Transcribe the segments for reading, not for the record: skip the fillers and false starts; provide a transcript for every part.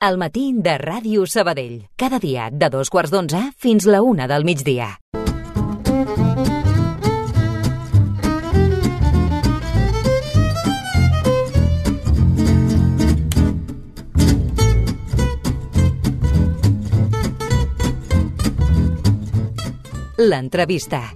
El matí de Ràdio Sabadell. Cada dia de 2:15 fins la 1 del migdia. L'entrevista.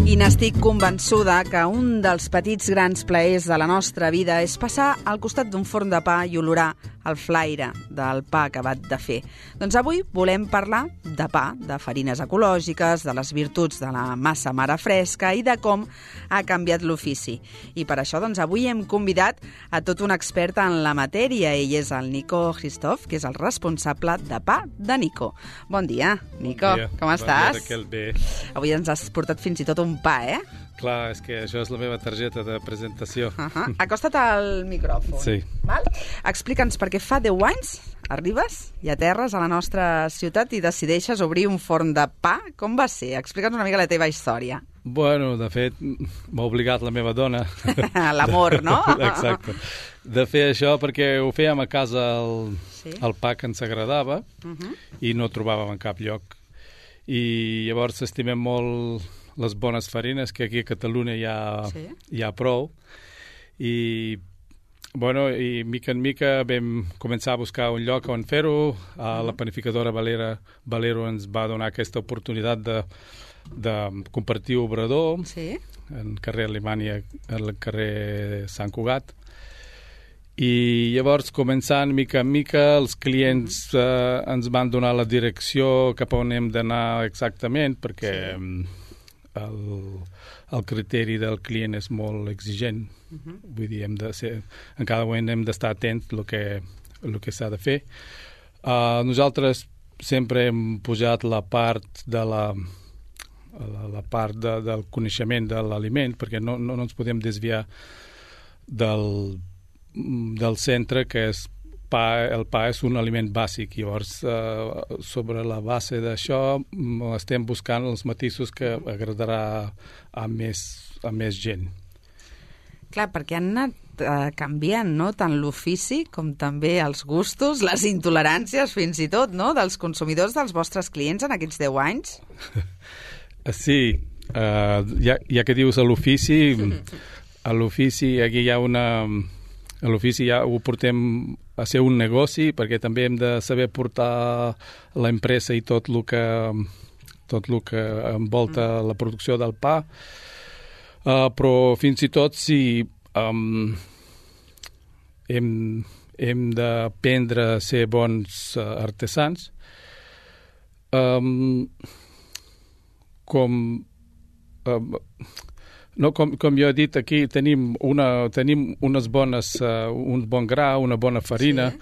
I n'estic convençuda que un dels petits grans plaers de la nostra vida és passar al costat d'un forn de pa i olorar el flaire del pa acabat de fer. Doncs avui volem parlar de pa, de farines ecològiques, de les virtuts de la massa mare fresca i de com ha canviat l'ofici. I per això doncs, avui hem convidat a tot un expert en la matèria. Ell és el Nico Christoph, que és el responsable de pa de Nico. Bon dia, Nico. Bon dia. Com estàs? Bon dia, Raquel. Bé. Avui ens has portat fins i tot un pa, eh? Clar, és que això és la meva targeta de presentació. Acosta't al micròfon. Sí. Val? Explica'ns, perquè fa 10 anys arribes i aterres a la nostra ciutat i decideixes obrir un forn de pa. Com va ser? Explica'ns una mica la teva història. Bueno, de fet, m'ha obligat la meva dona. L'amor, no? Exacte. De fer això perquè ho fèiem a casa el pa que ens agradava i no trobàvem en cap lloc. I llavors estimem molt les bones farines, que aquí a Catalunya hi ha prou. I, bueno, i mica en mica vam començar a buscar un lloc on fer-ho. La panificadora Valero ens va donar aquesta oportunitat de compartir obrador en carrer Alemanya, al carrer Sant Cugat. I llavors, començant mica en mica, els clients ens van donar la direcció cap on hem d'anar exactament, perquè el criteri del client és molt exigent. Vull dir, en cada moment hem d'estar atents al que s'ha de fer. Nosaltres sempre hem posat la part del coneixement de l'aliment, perquè no ens podem desviar del centre, que és el pa és un aliment bàsic. Llavors, sobre la base d'això, estem buscant els matisos que agradarà a més gent. Clar, perquè han anat canviant, no?, tant l'ofici com també els gustos, les intoleràncies, fins i tot, no?, dels consumidors, dels vostres clients en aquests 10 anys. Sí, ja que dius a l'ofici, aquí hi ha a l'ofici ja ho portem a ser un negoci, perquè també hem de saber portar l'empresa i tot el que envolta la producció del pa. Però fins i tot si hem d'aprendre a ser bons artesans, com jo he dit, aquí tenim un bon gra, una bona farina,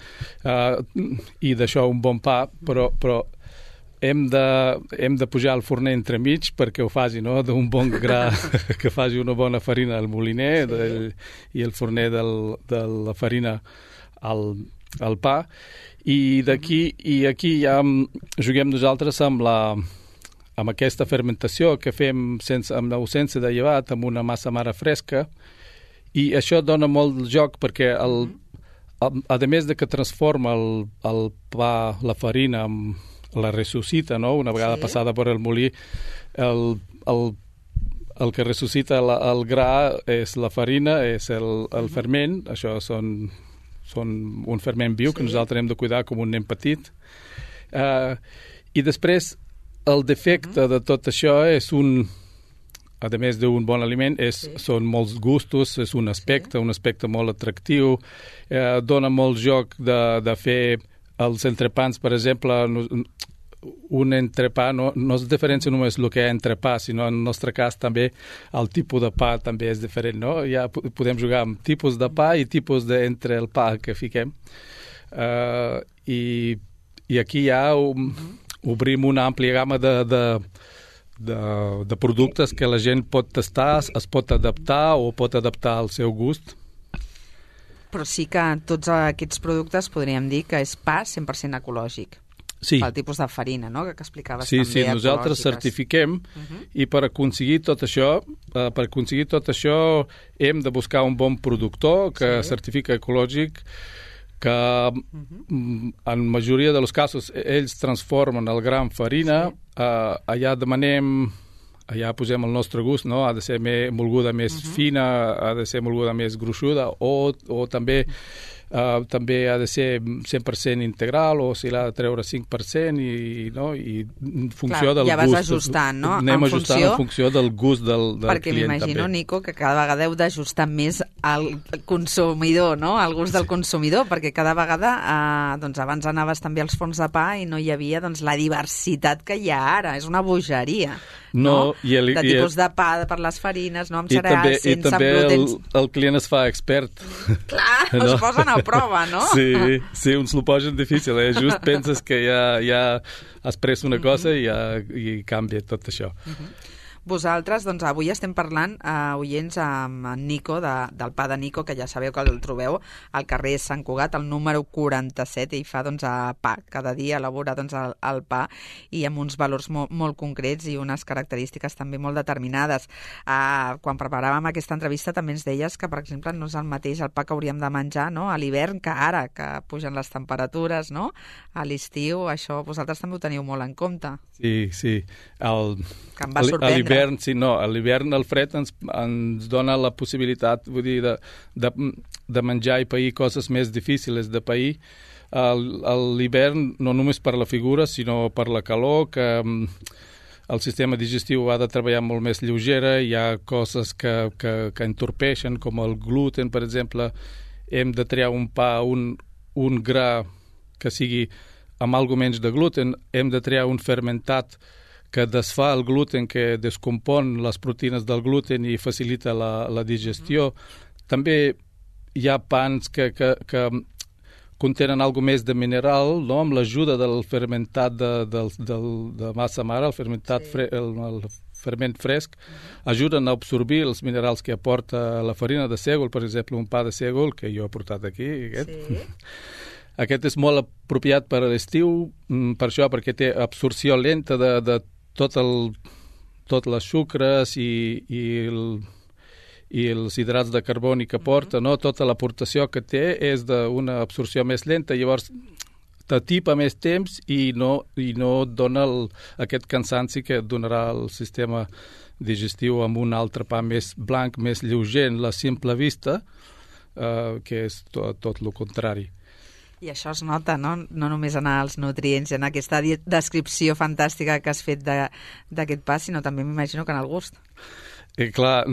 i d'això un bon pa, però hem de pujar el forner entremig perquè ho faci, no?, d'un bon gra que faci una bona farina al moliner i el forner de la farina al pa. I aquí ja juguem nosaltres amb aquesta fermentació que fem amb l'ausència de llevat, amb una massa mare fresca, i això dona molt joc perquè, a més de que transforma el pa, la farina, la ressuscita, no?, una vegada passada per el molí, el que ressuscita el gra és la farina, és el ferment. Això són un ferment viu que nosaltres hem de cuidar com un nen petit. I després, el defecte de tot això és a més d'un bon aliment, són molts gustos, és un aspecte molt atractiu, dona molt joc de fer els entrepans, per exemple. Un entrepà no es diferencia només el que és entrepà, sinó en el nostre cas també el tipus de pa també és diferent, no? Ja podem jugar amb tipus de pa i tipus d'entre el pa que fiquem. I aquí ja obrim una àmplia gamma de productes que la gent pot tastar, es pot adaptar o pot adaptar al seu gust. Però sí que tots aquests productes podríem dir que és pa 100% ecològic. Sí. pel tipus de farina, no?, que explicaves sí, també, sí, nosaltres certifiquem i per aconseguir tot això, hem de buscar un bon productor que certifica ecològic, que en majoria dels casos ells transformen el gra en farina, allà demanem, allà posem el nostre gust, no? Ha de ser molguda més fina, ha de ser molguda més gruixuda, o també ha de ser 100% integral, o si l'ha de treure 5%, i en funció del gust. Ja vas ajustant, no? Anem ajustant en funció del gust del client, perquè m'imagino, també. Nico, que cada vegada heu d'ajustar més al consumidor, no?, al gust del consumidor, perquè cada vegada, doncs abans anaves també als forns de pa i no hi havia la diversitat que hi ha ara. És una bogeria, no? De tipus de pa per les farines, no?, amb cereals, sense gluten. El client es fa expert. Clar, es posen a prova, no? Sí, uns l'ho posen difícil, just penses que ja has pres una cosa i canvia tot això. Vosaltres, doncs, avui estem parlant, oients, amb en Nico, del pa de Nico, que ja sabeu que el trobeu al carrer Sant Cugat, al número 47, i fa, doncs, pa. Cada dia elabora, doncs, el pa, i amb uns valors molt concrets i unes característiques també molt determinades. Quan preparàvem aquesta entrevista també ens deies que, per exemple, no és el mateix el pa que hauríem de menjar, no?, a l'hivern que ara, que pugen les temperatures, no?, a l'estiu. Això vosaltres també ho teniu molt en compte. Sí. Que em va sorprendre. A l'hivern el fred ens dona la possibilitat, vull dir, de menjar i pair coses més difícils de pair. A l'hivern, no només per la figura, sinó per la calor, que el sistema digestiu ha de treballar molt més lleugera, hi ha coses que entorpeixen, com el gluten, per exemple. Hem de triar un pa, un gra que sigui amb alguna menys de gluten, hem de triar un fermentat que desfà el gluten, que descompon les proteïnes del gluten i facilita la digestió. També hi ha pans que contenen alguna més de mineral, no?, amb l'ajuda del fermentat de massa mare, el fermentat el ferment fresc, ajuden a absorbir els minerals que aporta la farina de sègol, per exemple, un pa de sègol que jo he portat aquí. Aquest és molt apropiat per a l'estiu, per això, perquè té absorció lenta de tot les sucres i els hidrats de carboni que porta, no? Tota l'aportació que té és d'una absorció més lenta, llavors t'atipa més temps i no dona aquest cansanci que donarà el sistema digestiu amb un altre pa més blanc, més lleuger en la simple vista, que és tot el contrari. I això es nota, no? No només en els nutrients, en aquesta descripció fantàstica que has fet d'aquest pa, sinó també m'imagino que en el gust. Clar,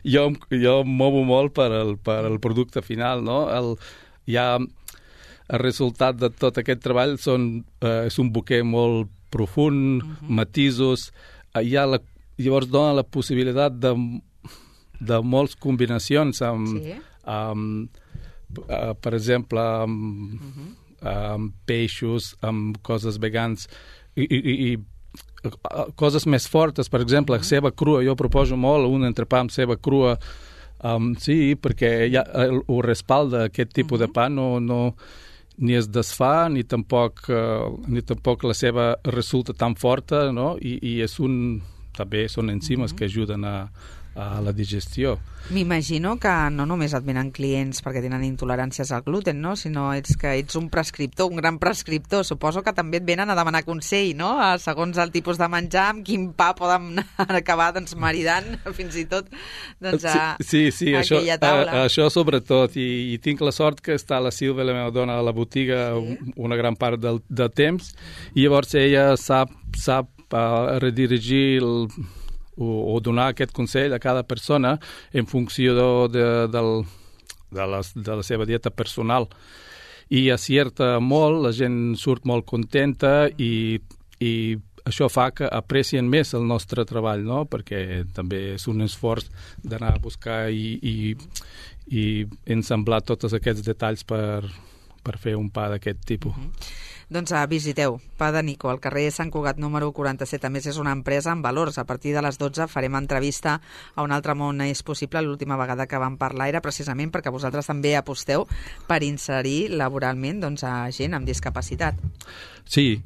jo em movo molt per al producte final, no? El resultat de tot aquest treball és un bouquet molt profund, matisos, llavors dona la possibilitat de moltes combinacions amb per exemple, amb peixos, amb coses vegans i coses més fortes, per exemple, ceba crua. Jo proposo molt un entrepà amb ceba crua, perquè ho respalda aquest tipus de pa, ni es desfà, ni tampoc la ceba resulta tan forta, no? I també són enzimes que ajuden a la digestió. M'imagino que no només et venen clients perquè tenen intoleràncies al gluten, no?, sinó que ets un prescriptor, un gran prescriptor. Suposo que també et venen a demanar consell, no?, segons el tipus de menjar, amb quin pa poden acabar maridant fins i tot sí, aquella taula. Això sobretot, i tinc la sort que està la Sílvia, la meva dona, a la botiga una gran part del temps, i llavors ella sap redirigir o donar aquest consell a cada persona en funció de la seva dieta personal. I acierta molt, la gent surt molt contenta i això fa que aprecien més el nostre treball, no? Perquè també és un esforç d'anar a buscar i ensamblar tots aquests detalls per fer un pa d'aquest tipus. Doncs visiteu Pa de Nico, al carrer Sant Cugat número 47. A més, és una empresa amb valors. A partir de les 12 farem entrevista a Un altre món és possible. L'última vegada que vam parlar era precisament perquè vosaltres també aposteu per inserir laboralment a gent amb discapacitat. Sí,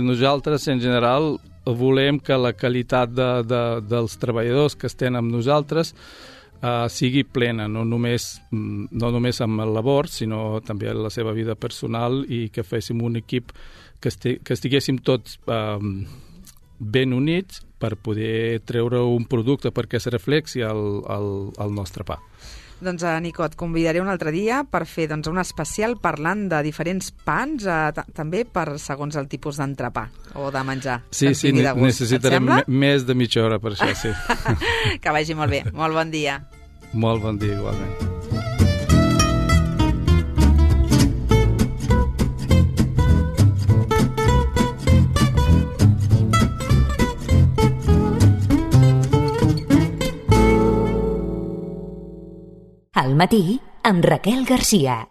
nosaltres en general volem que la qualitat dels treballadors que estan amb nosaltres sigui plena, no només amb el labor, sinó també en la seva vida personal, i que féssim un equip que estiguéssim tots ben units per poder treure un producte perquè es reflexi al nostre pa. Doncs, Nico, et convidaré un altre dia per fer un especial parlant de diferents pans, també per segons el tipus d'entrepà o de menjar. Sí, necessitarem més de mitja hora per això, sí. Que vagi molt bé. Molt bon dia. Molt bon dia, igualment. Al matí, amb Raquel Garcia.